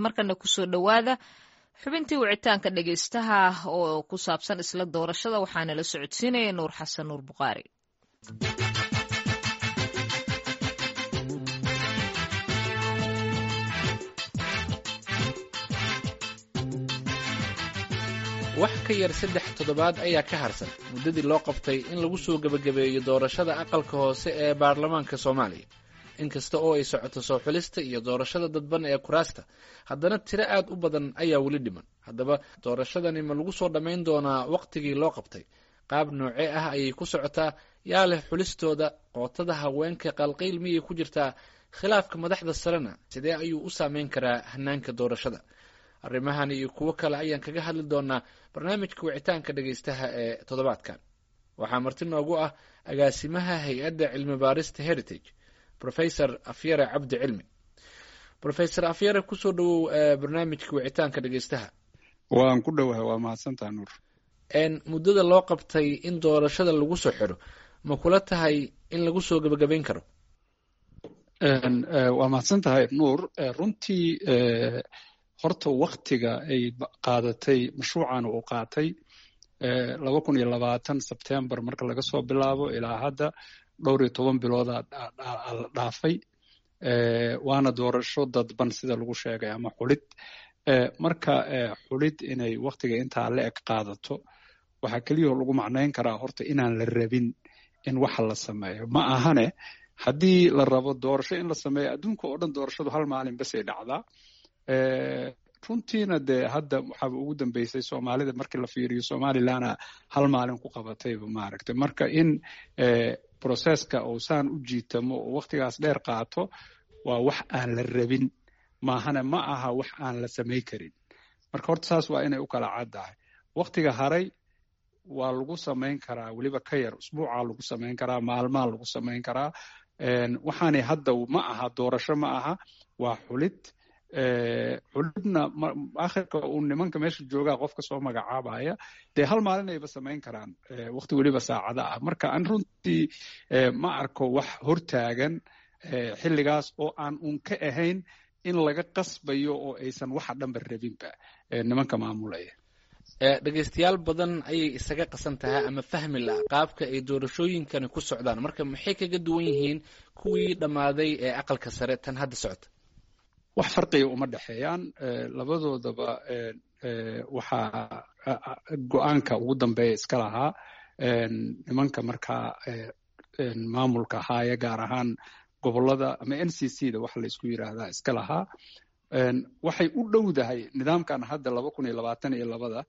Markana kusoo dhowaada xubintii wicitaanka dhegeystaha oo ku saabsan isla doorashada, waxaana la socodsiinaya Nuur Xasan Nuur Bukhaari. Wax ka yar 3 toddobaad ayaa ka harsan muddadii loo qabtay in lagu soo gebagabeeyo doorashada aqalka hoose ee baarlamaanka Soomaaliya. Inkasta oo ay socoto soo xulista iyo doorashada dadban ee kuraasta, haddana tiro aad u badan ayaa weli dhiman. Haddaba, doorashadani ma lagu soo dhammayn doonaa wakhtigii loo qabtay? Qaab noocee ah ayay ku socotaa? Yaa leh xulistooda? Qootada haweenka qalqayl miyay ku jirtaa? Khilaafka madaxda sarena sidee ayuu u saameyn karaa hanaanka doorashada? Arrimahan iyo kuwo kale ayaan kaga hadli doonaa barnaamijka wicitaanka dhegaystaha ee toddobaadkan. Waxaa marti noogu ah agaasimaha hay-adda cilmi baarista Heritage, Professor Afyare Cabdi Cilmi. Professor Afyare, kusoo dhawow barnaamijka wicitaanka dhegaystaha. Waan ku dhowahay, waa mahadsantaha, Nuur. Muddada loo qabtay in doorashada lagu soo xiro, ma kula tahay in lagu soo gebagabayn karo? Waa mahadsan tahay, Nuur. Runtii horta waktiga ay qaadatay mashruucan uu qaatay 2020 Sebtembar marka laga soo bilaabo ilaa hadda, dhowr iyo toban bilooda la dhaafay, waana doorasho dadban sida lagu sheegay ama xulid. Marka xulid inay waktiga intaa la eg qaadato, waxaa keliyahoo lagu macnayn karaa horta inaan la rabin in waxa la sameeyo. Ma ahane, haddii la rabo doorasho in la sameeyo, adduunka oo dhan doorashadu hal maalin basay dhacdaa. Runtiina dee hadda waxaaba ugu dambeysay Soomaalida markii la fiiriyo, Somalilandna hal maalin ku qabatayba, maaragtay. Marka in processka uu saan u jiitamo oo waktigaas dheer qaato waa wax aan la rabin, maahane ma aha wax aan la samay karin. Marka horta saas waa inay u kala caddahay. Waktiga haray waa lagu samayn karaa, weliba ka yar usbuucaa lagu samayn karaa, maalmaa lagu samayn karaa. Waxaanay hadda ma aha doorasho, ma aha, waa xulid. Xulidna akhirka uu nimanka meesha joogaa qofka soo magacaabaya, dee hal maalin ayba samayn karaan, waqti weliba saacada ah. Marka an runtii ma arko wax hortaagan xilligaas oo aan uun ka ahayn in laga qasbayo oo aysan waxa dhanba rabinba nimanka maamulaya. Dhegaystayaal badan ayay isaga qasan tahay ama fahmi la qaabka ay doorashooyinkani ku socdaan. Marka maxay kaga duwan yihiin kuwii dhammaaday ee aqalka sare tan hadda socota? Wax farqiga uma dhexeeyaan labadoodaba. Waxaa go-aanka ugu dambeeya iska lahaa nimanka markaa maamulka haaya, gaar ahaan gobolada ama NCC da waxa la isku yiraahdaa iska lahaa. Waxay u dhowdahay nidaamkan hadda 2022-da.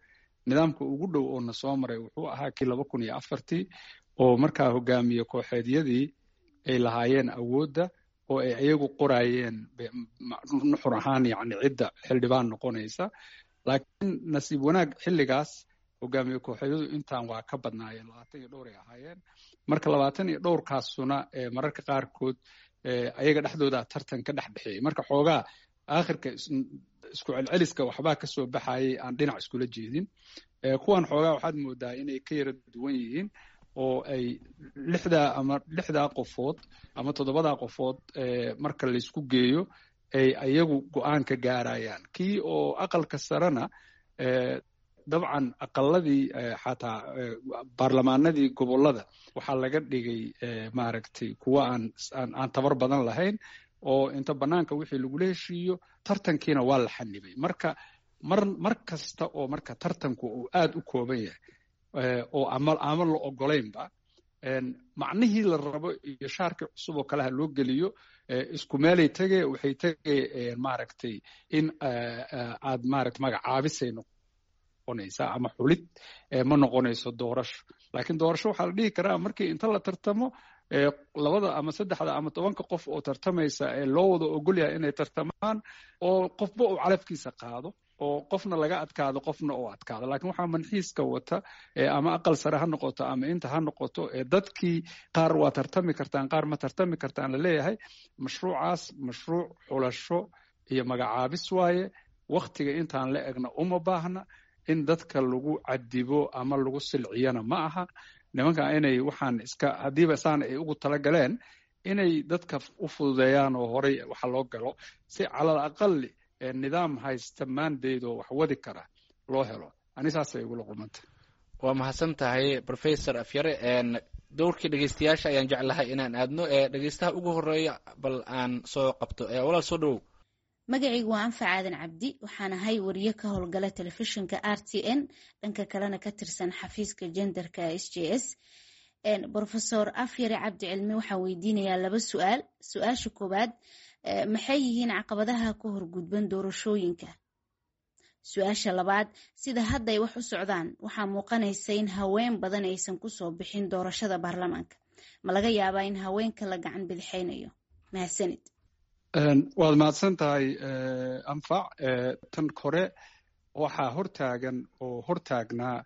Nidaamka ugu dhow oo na soo maray wuxuu ahaa kii 2004-tii, oo markaa hogaamiye kooxeedyadii ay lahaayeen awoodda oo ay iyagu qoraayeen nuxur ahaan, yacni cidda xildhibaan noqonaysa. Laakiin nasiib wanaag xilligaas hogaamiye kooxeedyadu intaan waa ka badnaayeen, labaatan iyo dhowr ay ahaayeen. Marka labaatan iyo dhowrkaasuna mararka qaarkood ayaga dhexdooda tartan ka dhex bixiyey. Marka xoogaa aakhirka isku celceliska waxbaa ka soo baxayay aan dhinac iskula jeedin. Kuwan xoogaa waxaad moodaa inay ka yara duwan yihiin oo ay lixdaa ama lixdaa qofood ama toddobadaa qofood marka laysku geeyo ay ayagu go-aan ka gaarayaan. Kii oo aqalka sarena, dabcan aqaladii xataa baarlamaanadii gobollada waxaa laga dhigay, maaragtay, kuwa aan tabar badan lahayn oo inta bannaanka wixii lagula heshiiyo, tartankiina waa la xanibay. Marka mar kasta oo marka tartanku uu aad u kooban yahay oo ama la ogolaynba macnihii la rabo iyo shaarkii cusub oo kaleha loo geliyo, isku meelay tege, waxay tegay, maaragtay, in aad, maaragtay, magacaabisay noqonaysaa ama xulid, ma noqonayso doorasho. Laakiin doorasho waxaa la dhihi karaa markii inta la tartamo, labada ama saddexda ama 10-ka qof oo tartamaysa ee loo wada ogol yahay inay tartamaan, oo qofba uu calafkiisa qaado, oo qofna laga adkaado, qofna uu adkaado. Laakiin waxaa manxiiska wata, ama aqal sare ha noqoto ama inta ha noqoto, dadkii qaar waa tartami kartaan, qaar ma tartami kartaan la leeyahay. Mashruucaas mashruuc xulasho iyo magacaabis waaye. Waktiga intaan la egna uma baahna in dadka lagu cadibo ama lagu silciyana. Ma aha nimanka inay waxaan iska haddiiba saan ay ugu talagaleen inay dadka u fududeeyaan oo horay waxa loo galo si calal aqali. Nidaam haysta mandate oo wax wadi kara loo helo. Ani saasay igula qumanta. Waa mahadsan tahay, Professor Afyare. Dowrkii dhegeystayaasha ayaan jeclahay inaan aadno. Ee dhegeystaha ugu horeeya bal aan soo qabto. Walaal, soo dhawow. Magacaygu waa Anfac Aadan Cabdi. Waxaan ahay wariye ka howlgala telefishinka RTN, dhanka kalena ka tirsan xafiiska genderka SJS. Professor Afyare Cabdi Cilmi waxaan weydiinayaa laba su-aal. Su-aasha koowaad, maxay yihiin caqabadaha ku horgudban doorashooyinka? Su-aasha labaad, sida hadda ay wax u socdaan, waxaa muuqanaysa in haween badan aysan kusoo bixin doorashada baarlamaanka. Ma laga yaabaa in haweenka la gacan bidixaynayo? Mahadsanid. Waad mahadsan tahay, Anfac. Tan kore, waxaa hortaagan oo hortaagnaa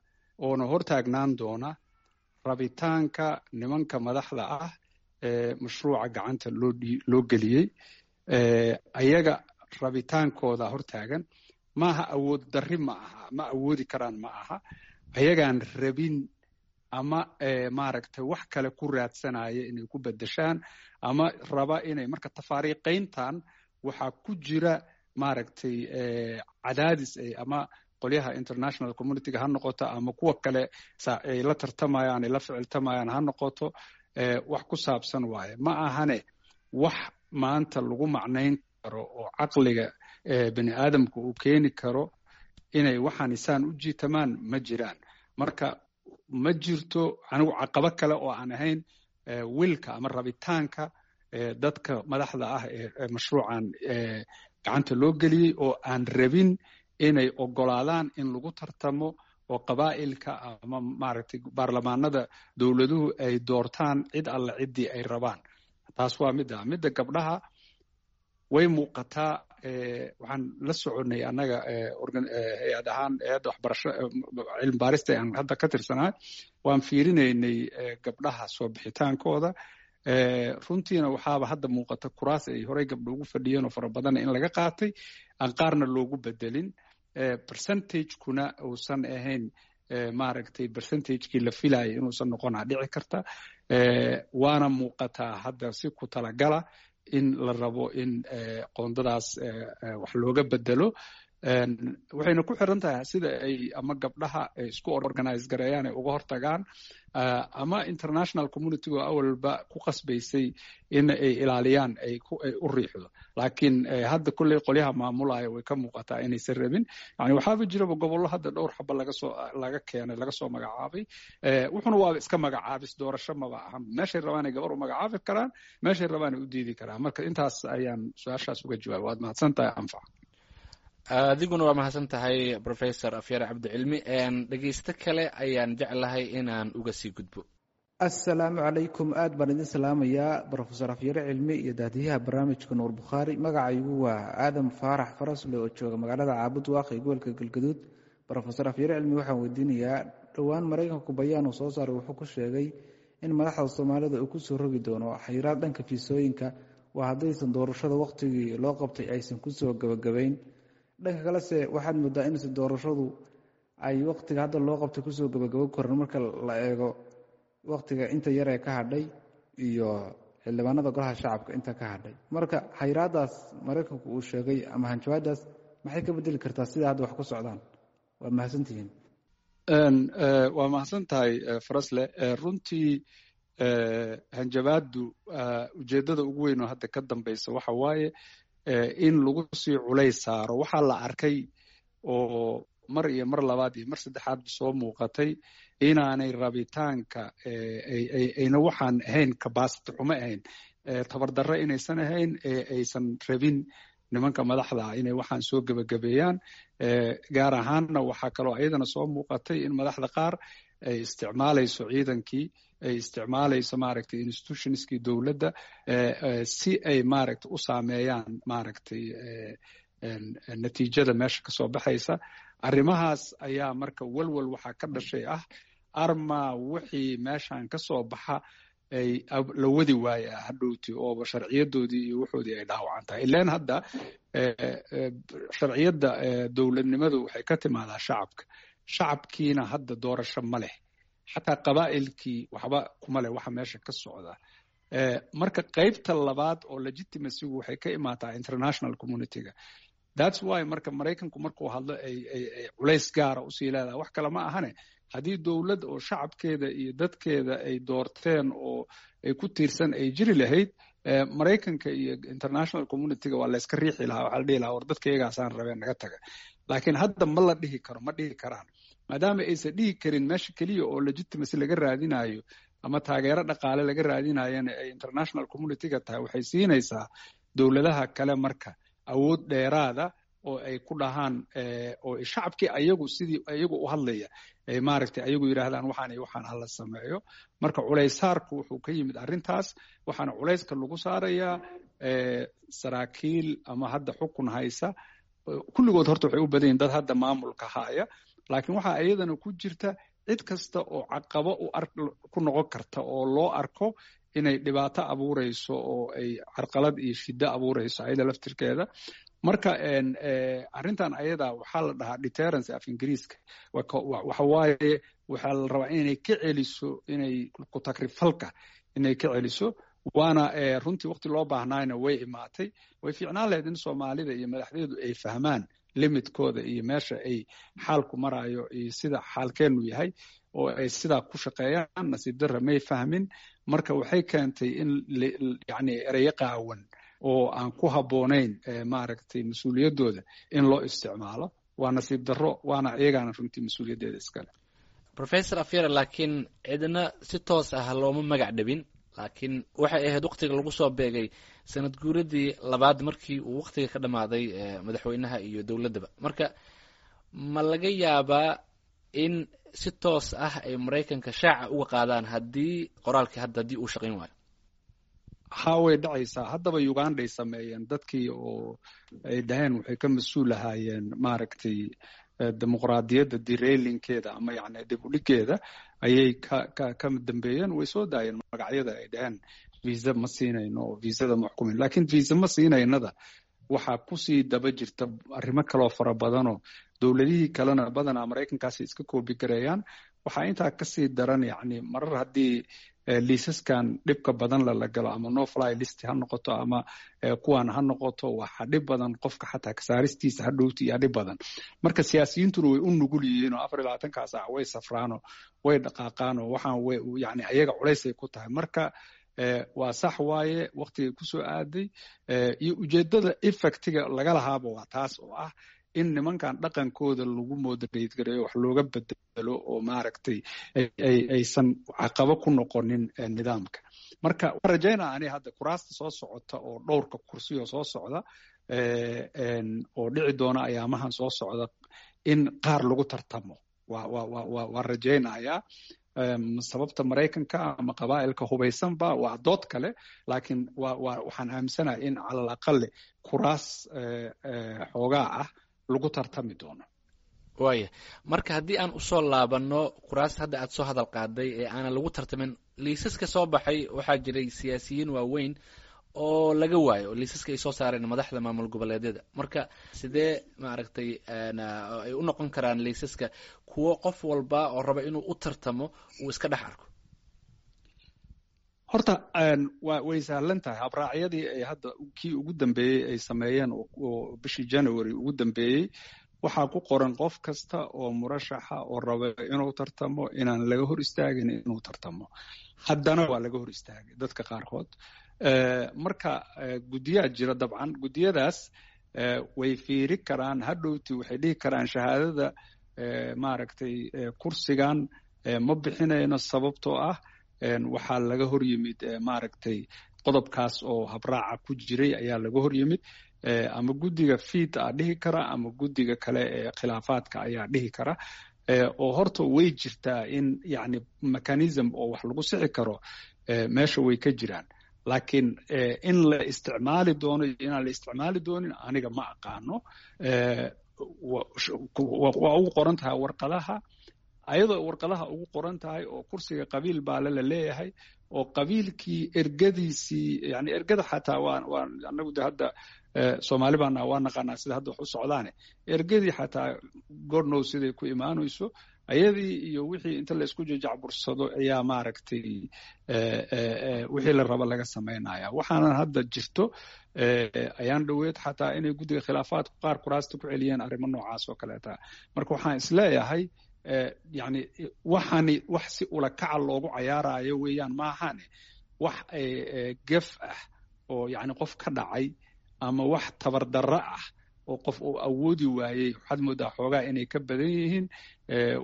oona hortaagnaan doona rabitaanka nimanka madaxda ah ee mashruuca gacanta loo geliyey. Ayaga rabitaankooda hortaagan. Maaha awood darri, ma aha ma awoodi karaan, ma aha. Ayagaan rabin ama maaragtay wax kale ku raadsanaya inay ku bedeshaan ama raba inay marka tafaariiqayntan waxaa ku jira, maaragtay, cadaadis ay ama qolyaha international communityga ha noqoto ama kuwa kale ay la tartamayaan, ay la ficiltamayaan ha noqoto, wax ku saabsan waaye. Ma ahane wax maanta lagu macnayn karo oo caqliga bini aadamka uu keeni karo inay waxaan isaan u jiitamaan ma jiraan. Marka ma jirto anigu caqabo kale oo aan ahayn wilka ama rabitaanka dadka madaxda ah ee mashruucan gacanta loo geliyey oo aan rabin inay ogolaadaan in lagu tartamo oo qabaa'ilka ama, maaragtay, baarlamaanada dowladuhu ay doortaan cid alle ciddii ay rabaan. Taas waa midda. Midda gabdhaha way muuqataa. Waxaan la soconay annaga hay-ad ahaan, hay-adda waxbarasho cilmi baarista aan hadda ka tirsanahay, waan fiirinaynay gabdhaha soo bixitaankooda. Runtiina waxaaba hadda muuqata kuraas ay horey gabdho ugu fadhiyeen oo fara badanna in laga qaatay, aan qaarna loogu bedelin, percentagekuna uusan ahayn, maaragtay, percentagekii la filayay inuusan noqonaa dhici karta. Waana muuqataa hadda si ku talagala in la rabo in qoondadaas wax looga bedelo. Waxayna ku xiran tahay sida ay ama gabdhaha ay isku organize gareeyaan ay uga hortagaan ama international community oo awalba ku qasbaysay in ay ilaaliyaan ay u riixdo. Laakiin hadda kolley qolyaha maamulaya way ka muuqataa inaysan rabin. Yani waxaaba jiraba gobollo hadda dhowr xaba lagasoo laga keenay, laga soo magacaabay. Wuxuna waaba iska magacaabis, doorasho maba ahan. Meeshay rabaan ay gabar u magacaabi karaan, meeshay rabaan ay u diidi karaan. Marka intaas ayaan su-aashaas uga jawaabay. Waad mahadsan tahay, Anfac. Adiguna waa mahadsan tahay, Professor Afyare Cabdicilmi. Dhegeysto kale ayaan jeclahay inaan uga sii gudbo. Assalaamu calaykum. Aad baan idin salaamayaa, Professor Afyare Cilmi iyo daadiyaha barnaamijka Nuur Bukhaari. Magacaygu waa Aadam Faarax Farasle oo jooga magaalada Caabud Waaq ee gobolka Galgaduud. Professor Afyare Cilmi waxaan weydiinayaa, dhowaan Maraykanku bayaan uu soo saaray wuxuu ku sheegay in madaxda Soomaalida uu kusoo rogi doono xayiraad dhanka fiisooyinka, waa haddaysan doorashada wakhtigii loo qabtay aysan kusoo gabagabayn. Dhanka kalese waxaad moodaa inse doorashadu ay wakhtiga hadda loo qabtay kusoo gabagabo koran marka la eego wakhtiga inta yar ee ka hadhay iyo xildhibaanada golaha shacabka inta ka hadhay. Marka xayiraadaas Maraykanku uu sheegay ama hanjabaadaas maxay ka bedeli kartaa sida hadda wax ku socdaan? Waa mahadsantihiin. Waa mahadsan tahay, Farasle. Runtii hanjabaaddu ujeeddada ugu weyn oo hadda ka dambaysa waxa waaye in lagu sii culays saaro. Waxaa la arkay oo mar iyo mar labaad iyo mar saddexaadba soo muuqatay inaanay rabitaanka ayna waxaan ahayn capacity xumo ahayn, tabardarre inaysan ahayn, ee aysan rabin nimanka madaxda ah inay waxaan soo gebagabeeyaan. Gaar ahaanna waxaa kaloo ayadana soo muuqatay in madaxda qaar ay isticmaalayso ciidankii, ay isticmaalayso, maaragtay, institutionskii dowladda si ay, maaragtay, u saameeyaan, maaragtay, natiijada meesha kasoo baxaysa. Arrimahaas ayaa marka walwal waxaa ka dhashay ah arma wixii meeshan ka soo baxa ay la wadi waaya hadhowti ooba sharciyadoodii iyo wuxoodii ay dhaawacan tahay. Ileen hadda sharciyadda dowladnimadu waxay ka timaadaa shacabka. Shacabkiina hadda doorasho ma leh, xataa qabaa'ilkii waxba kuma leh waxa meesha ka socda. Marka qaybta labaad oo legitimacygu waxay ka imaataa international communityga. That's why marka Maraykanku markuu hadlo ay culays gaara usii leedahay. Wax kale ma ahane, haddii dowlad oo shacabkeeda iyo dadkeeda ay doorteen oo ay ku tiirsan ay jiri lahayd, Maraykanka iyo international communityga waa layska riixi lahaa. Waxaa la dhihi lahaa, "War, dadka iyagaasaan rabeen, naga taga." Laakiin hadda ma la dhihi karo, ma dhihi karaan. Maadaama aysan dhihi karin, meesha keliya oo legitimacy laga raadinayo ama taageero dhaqaale laga raadinayana ay international communityga tahay, waxay siinaysaa dowladaha kale marka awood dheeraada oo ay ku dhahaan oo shacabkii ayagu sidii ayagu u hadlaya ay maaragtay ayagu yidhaahdaan, "Waxaan iyo waxaan hala sameeyo." Marka culaysaarku wuxuu ka yimid arrintaas, waxaana culayska lagu saarayaa saraakiil ama hadda xukun haysa. Kulligood horta waxay u badan yihin dad hadda maamulka haya, laakiin waxaa iyadana ku jirta cid kasta oo caqabo u ku noqon karta oo loo arko inay dhibaato abuureyso oo ay carqalad iyo shiddo abuureyso ayada laftirkeeda. Marka arrintan ayada waxaa la dhahaa deterrence af Ingiriiska. Waxa waaye, waxaa la rabaa inay ka celiso, inay ku takrifalka inay ka celiso. Waana runtii waqti loo baahnaayna way imaatay. Way fiicnaan lahayd in Soomaalida iyo madaxdeedu ay fahmaan limitkooda iyo meesha ay xaalku marayo iyo sida xaalkeenu yahay oo ay sidaa ku shaqeeyaan. Nasiib darra, may fahmin. Marka waxay keentay in yani ereyo qaawan oo aan ku habboonayn maaragtay mas-uuliyaddooda in loo isticmaalo. Waa nasiib darro, waana iyagaana runtii mas-uuliyaddeeda iskale. Professor Afyare, laakiin cidna si toos ah looma magac dhabin, laakiin waxay ahayd waqtiga lagu soo beegay sanad guuradii labaad markii uu waqtiga ka dhammaaday madaxweynaha iyo dowladdaba. Marka ma laga yaabaa in si toos ah ay Maraykanka shaaca uga qaadaan haddii qoraalkii hadda haddii uu shaqayn waayo? Ha, way dhacaysaa. Haddaba Uganday sameeyeen, dadkii oo ay dhaheen waxay ka mas-uul ahaayeen maaragtay dimuqraadiyadda derailinkeeda ama yacni dib u dhigeeda ayay ka dambeeyeen. Way soo daayeen magacyada ay dhaheen visa ma siinayno oo viisada ma xukumin. Laakiin visa ma siinaynada waxaa kusii daba jirta arrimo kaloo fara badanoo dowladihii kalena badanaa Maraykankaasi iska koobi gareeyaan. Waxaa intaa kasii daran, yacni marar haddii liisaskan dhibka badan lala galo, ama no fly list ha noqoto ama kuwan ha noqoto, waxaa dhib badan qofka xataa kasaaristiisa hadhowti iyo dhib badan. Marka siyaasiyiintuna way u nugul yihiin oo 24-kaa saac way safraanoo way dhaqaaqaanoo waxaan way yani ayaga culaysay ku tahay. Marka waa sax waaye, waqtigay kusoo aaday iyo ujeeddada effectiga laga lahaaba waa taas oo ah in nimankan dhaqankooda lagu moderate gareeyo, wax looga bedelo oo maaragtay aysan caqabo ku noqonin nidaamka. Marka waan rajaynaa ani hadda kuraasta soo socota oo dhowrka kursiyo soo socda oo dhici doona ayaamahan soo socda in qaar lagu tartamo waa rajaynayaa. Sababta Maraykanka ama qabaa'ilka hubaysanba waa dood kale, laakiin waxaan aaminsanahay in calal aqale kuraas xoogaa ah lagu tartami doono. Waaya, marka haddii aan usoo laabanno kuraasta hadda aad soo hadal qaaday ee aanan lagu tartamin liisaska soo baxay, waxaa jiray siyaasiyiin waaweyn oo laga waayo liisaska ay soo saareen madaxda maamul goboleedyada. Marka sidee maaragtay ay u noqon karaan liisaska kuwo qof walba oo raba inuu u tartamo uu iska dhex arko? Horta way sahlan tahay. Habraacyadii ay hadda kii ugu dambeeyey ay sameeyeen oo bishii January ugu dambeeyey waxaa ku qoran qof kasta oo murashaxa oo raba inuu tartamo inaan laga hor istaagin inuu tartamo. Haddana waa laga hor istaagay dadka qaarkood. Marka guddiyaa jira dabcan, guddiyadaas way fiiri karaan hadhowti, waxay dhihi karaan, "Shahaadada maaragtay kursigan ma bixinayno, sababtoo ah waxaa laga hor yimid maaragtay qodobkaas oo habraaca ku jiray ayaa laga hor yimid." Ama guddiga fiid a dhihi kara ama guddiga kale ee khilaafaadka ayaa dhihi kara. Oo horta way jirtaa in yacni mechanism oo wax lagu sixi karo meesha way ka jiraan, laakiin in la isticmaali doono iyo inaan la isticmaali doonin aniga ma aqaano. Waa ugu qoran tahay warqadaha, ayadoo warqadaha ugu qoran tahay oo kursiga qabiil baale la leeyahay oo qabiilkii ergadiisii, yani ergada xataa waa anagu de hadda Soomaali baana waa naqaanaa sida hadda wax u socdaane, ergadii xataa godnow siday ku imaanayso. Ayadii iyo wixii inta laisku jajacbursado ayaa maaragtay wixii la raba laga samaynaya. Waxaanan hadda jirto ayaan dhoweed xataa inay guddiga khilaafaadku qaar kuraasta ku celiyeen arrimo noocaas oo kaleeta. Marka waxaan isleeyahay, yani, waxaani wax si ulakaca loogu cayaarayo weeyaan, maahane wax gef ah oo yani qof ka dhacay ama wax tabardarro ah oo qof uu awoodi waayey, waxaad moodaa xoogaa inay ka badan yihiin.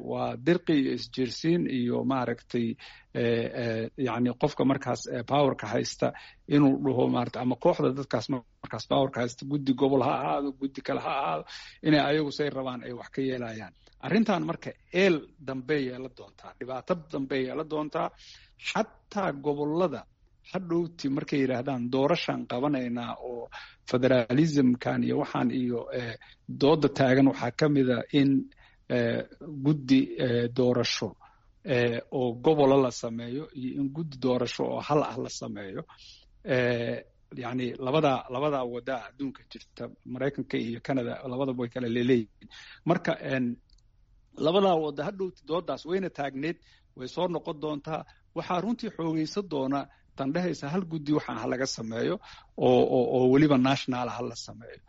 Waa dirqi iyo isjiirsiin iyo maaragtay, yani qofka markaas powerka haysta inuu dhaho maarata, ama kooxda dadkaas markaas powerka haysta, guddi gobol ha ahaado, guddi kale ha ahaado, inay ayagu say rabaan ay wax ka yeelayaan arrintan. Marka eel dambe yeela doontaa, dhibaato dambe yeela doontaa. Xataa gobollada hadhowti markay yidhaahdaan doorashaan qabanaynaa oo federalismkan iyo waxaan iyo dooda taagan, waxaa ka mida in guddi doorasho oo gobola la sameeyo iyo in guddi doorasho oo hal ah la sameeyo. Yani labadaa wadaa adduunka jirta, Maraykanka iyo Canada labadaba way kala leeleeyihiin. Marka labadaa wada hadhowti doodaas wayna taagneed, way soo noqon doontaa. Waxaa runtii xoogeysa doona tan dhehaysa hal guddi waxaan ha laga sameeyo oo weliba national ha la sameeyo.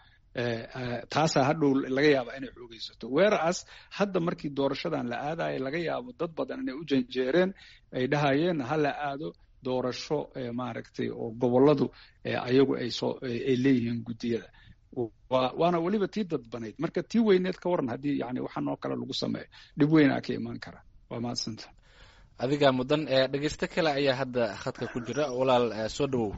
Taasaa hadhow laga yaaba inay xoogeysato, whereas hadda markii doorashadan la aadaya laga yaabo dad badan inay u janjeereen, ay dhahayeen ha la aado doorasho maaragtay oo gobolladu ayagu ay soo ay leeyihiin guddiyada, waana weliba tii dadbanayd. Marka tii weyneed ka waran haddii yani waxaan oo kale lagu sameeyo? Dhib weynaa ka imaan kara. Waa mahadsanta. Adigaa mudan. Dhegeysto kale ayaa hadda khadka ku jira. Walaal, soo dhawow.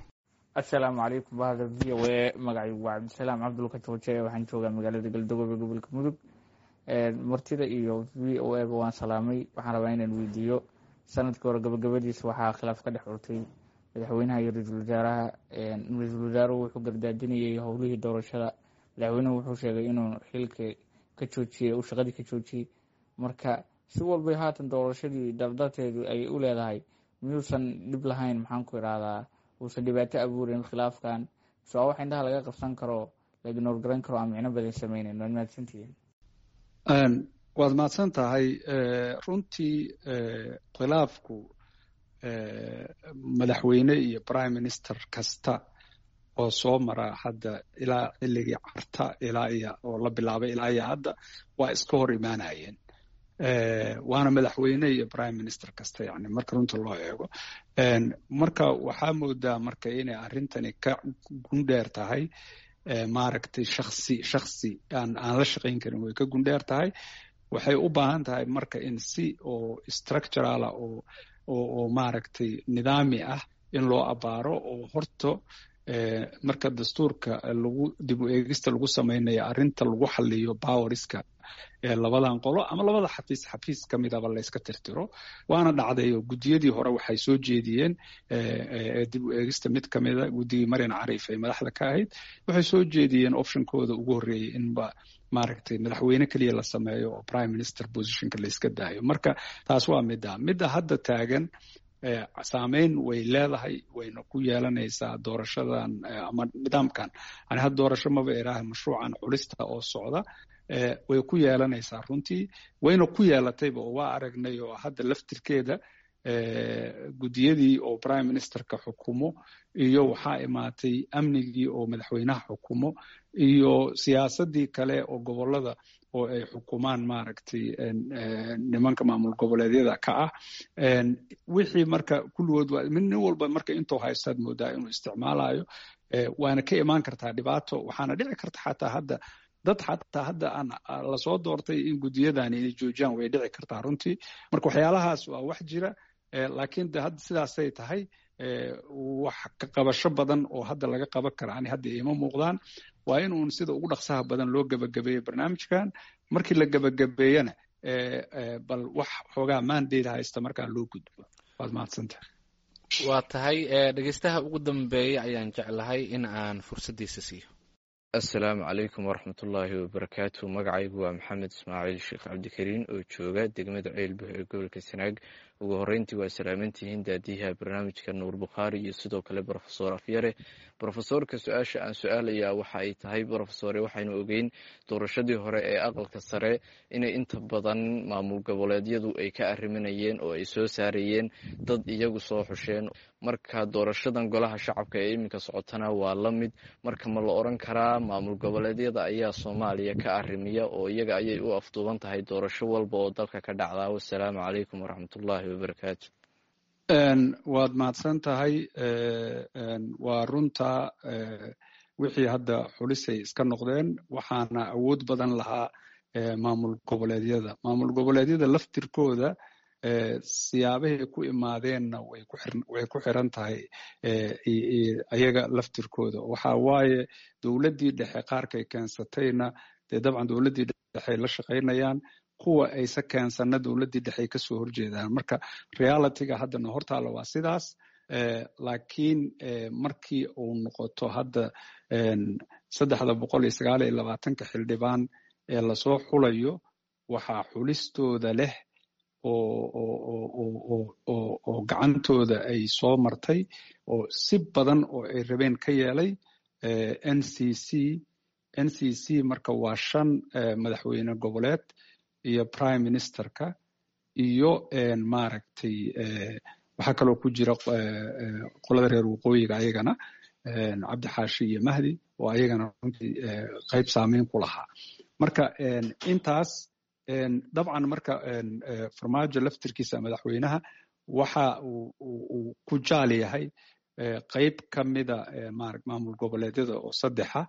Assalaamu calaykum bahda VOA. Magacaygu waa Cabdisalaam Cabdulka Jooje, waxaan joogaa magaalada Galdogobe, gobolka Mudug. Martida iyo VOA ba waan salaamay. Waxaan rabaa inaan weydiiyo, sanadkii hore gabagabadiisa waxaa khilaaf ka dhex curtay madaxweynaha iyo ra-iisul wasaaraha. Ra-iisul wasaaruhu wuxuu gardaadinayay howlihii doorashada, madaxweynuhu wuxuu sheegay inuu xilka ka joojiyey, uu shaqadii ka joojiyey. Marka si walbay haatan doorashadii dardarteedu ay u leedahay, miyuusan dhib lahayn, maxaan ku idhaahdaa, uusan dhibaato abuurin khilaafkan? So wax indhaha laga qabsan karo, la ignore garan karo, aan micno badan sameyneyn? Waad mahadsantihiin. Waad mahadsan tahay. Runtii khilaafku madaxweyne iyo prime minister kasta oo soo mara hadda ilaa xilligii Carta ilaa iyo oo la bilaabay ilaa iyo hadda waa iska hor imaanayeen, waana madaxweyne iyo prime minister kasta, yani marka runta loo eego. Marka waxaa moodaa marka inay arrintani ka gundheer tahay maaragtay shaksi shaksi aan la shaqayn karin, way ka gundheer tahay. Waxay u baahan tahay marka in si oo structural ah oo maaragtay nidaami ah in loo abaaro, oo horto marka dastuurka lagu dib u eegista lagu samaynayo arrinta lagu xaliyo powerska labadan qolo ama labada xafiis, xafiis ka midaba layska tirtiro. Waana dhacday oo guddiyadii hore waxay soo jeediyeen dib u eegista mid ka mida, guddigii Marian Cariif ay madaxda ka ahayd, waxay soo jeediyeen optionkooda ugu horreeyey inba maaragtay madaxweyne keliya la sameeyo oo prime minister positionka layska daayo. Marka taas waa midda hadda taagan. Saameyn way leedahay, wayna ku yeelanaysaa doorashadan ama nidaamkan, yani hadda doorasho maba iraaha, mashruucan xulista oo socda way ku yeelanaysaa runtii, wayna ku yeelatayba oo waa aragnay oo hadda laftirkeeda guddiyadii oo prime ministerka xukumo iyo waxaa imaatay amnigii oo madaxweynaha xukumo iyo siyaasadii kale oo gobolada oo ay xukumaan maaragtay nimanka maamul goboleedyada ka ah. Wixii marka kulligood waa nin walba marka intuu haystaad moodaa inuu isticmaalayo, waana ka imaan kartaa dhibaato. Waxaana dhici karta xataa hadda dad xataa hadda aan lasoo doortay in guddiyadani inay joojiyaan, way dhici kartaa runtii. Marka waxyaalahaas waa wax jira, laakiin de hadda sidaasay tahay, wax ka qabasho badan oo hadda laga qaban kara ani hadda iima muuqdaan. Waa in uun sida ugu dhaqsaha badan loo gebagabeeyo barnaamijkan. Markii la gebagabeeyana bal wax xoogaa mandate haysta markaa loo gudbo. Waad mahadsantahay. Waa tahay. Dhegeystaha ugu dambeeya ayaan jeclahay in aan fursaddiisa siiyo. Assalaamu calaykum waraxmatullaahi wabarakaatu. Magacaygu waa Maxamed Ismaaciil Sheekh Cabdikariin oo jooga degmada Ceelbuh ee gobolka Sanaag. Ugu horeyntii waa salaamantihiin daadiyaha barnaamijka Nuur Bukhaari iyo sidoo kale Brofesor Afyare. Brofesorka su-aasha aan su-aalayaa waxa ay tahay, brofesore, waxaynu ogeyn doorashadii hore ee aqalka sare inay inta badan maamul goboleedyadu ay ka arriminayeen oo ay soo saarayeen dad iyagu soo xusheen. Marka doorashadan golaha shacabka ee iminka socotana waa la mid. Marka ma la oran karaa maamul goboleedyada ayaa Soomaaliya ka arrimiya oo iyaga ayay u afduuban tahay doorasho walba oo dalka ka dhacdaa? Wasalaamu calaykum waraxmatullaahi wabarakaatu. Waad mahadsan tahay. Waa runta, wixii hadda xulisay iska noqdeen, waxaana awood badan lahaa maamul goboleedyada. Maamul goboleedyada laftirkooda siyaabahay ku imaadeenna way ku xiran tahay ayaga laftirkooda. Waxa waaye dowladdii dhexe qaarkay keensatayna dee dabcan dowladdii dhexe la shaqaynayaan, kuwa ayse keensanna dowladdii dhexe ay kasoo horjeedaan. Marka realityga haddana hortaalla waa sidaas. Laakiin markii uu noqoto hadda 329-ka xildhibaan ee lasoo xulayo, waxaa xulistooda leh oo gacantooda ay soo martay oo si badan oo ay rabeen ka yeelay NCC. NCC marka waa 5 madaxweyne goboleed iyo prime ministerka iyo maaragtay waxaa kaloo ku jira qolada reer waqooyiga, ayagana Cabdi Xaashi iyo Mahdi oo ayagana runtii qayb saameyn ku lahaa. Marka intaas dabcan marka Farmaajo laftirkiisa madaxweynaha waxa uu ku jaal yahay qayb ka mida maamul goboleedyada oo saddexa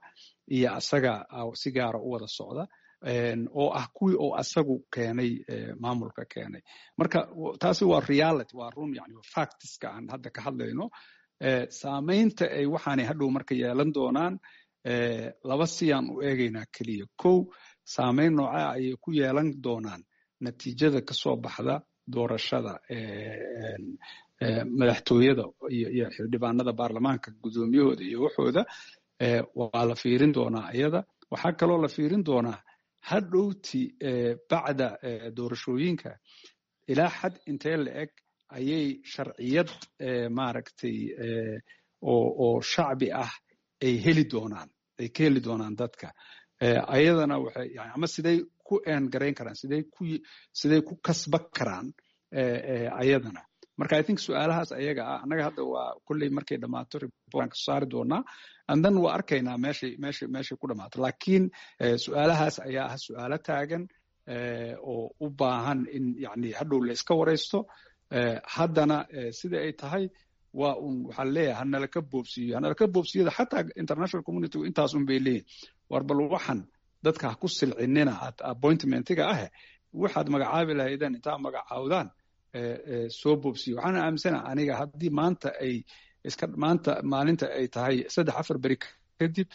iyo asaga si gaara u wada socda oo ah kuwii oo asagu keenay, maamulka keenay. Marka taasi waa reality, waa run, yani factiska aan hadda ka hadlayno. Saamaynta ay waxaanay hadhow marka yeelan doonaan laba siyaan u eegaynaa keliya. Kow, saamayn noocaa ayay ku yeelan doonaan natiijada kasoo baxda doorashada madaxtooyada iyo xildhibaanada baarlamaanka, guddoomiyahooda iyo waxooda, waa la fiirin doonaa iyada. Waxaa kaloo la fiirin doonaa hadhowti bacda doorashooyinka ilaa xad intee la eg ayay sharciyad maaragtay oo shacbi ah ay heli doonaan, ay ka heli doonaan dadka ayadana waxay yani ama siday ku eengarayn karaan, siday ku kasban karaan ayadana. Marka I think su-aalahaas ayaga ah annaga hadda waa kolley markay dhammaato report aan kasoo saari doonaa, and then waa arkaynaa meeshay ku dhammaato. Laakiin su-aalahaas ayaa ah su-aalo taagan oo u baahan in yani hadhow la iska waraysto. Haddana sida ay tahay waa un waxaa leeyahay hanala ka boobsiiyo, hanala ka boobsiyada. Xataa international community intaas un bay leeyihin: war bal waxan dadka ha ku silcinina appointmentiga ah, waxaad magacaabi lahaydeen intaa magacaawdaan soo boobsiyo. Waxaana aaminsana aniga haddii maanta ay iska maanta maalinta ay tahay, 3-4 beri kadib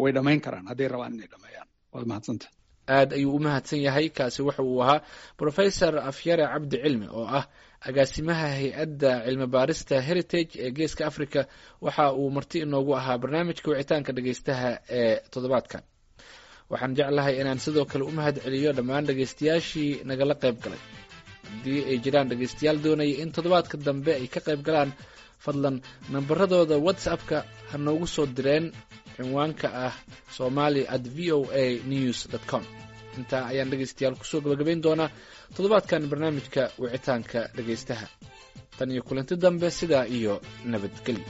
way dhammayn karaan hadday rabaan inay dhammeeyaan. Waad mahadsanta. Aad ayuu u mahadsan yahay. Kaasi waxa uu ahaa Professor Afyare Cabdi Cilmi oo ah agaasimaha hay-adda cilmi baarista Heritage ee Geeska Africa. Waxa uu marti inoogu ahaa barnaamijka wicitaanka dhegeystaha ee toddobaadkan. Waxaan jeclahay inaan sidoo kale u mahad celiyo dhammaan dhegeystayaashii nagala qayb galay. Haddii ay jiraan dhegeystayaal doonaya in toddobaadka dambe ay ka qayb galaan, fadlan nambaradooda WhatsApp-ka ha noogu soo direen cinwaanka ah somali@voanews.com. Intaa ayaan dhegeystayaal kusoo gabagabayn doonaa toddobaadkan barnaamijka wicitaanka dhegeystaha. Tan iyo kulanti dambe, sidaa iyo nabadgelyo.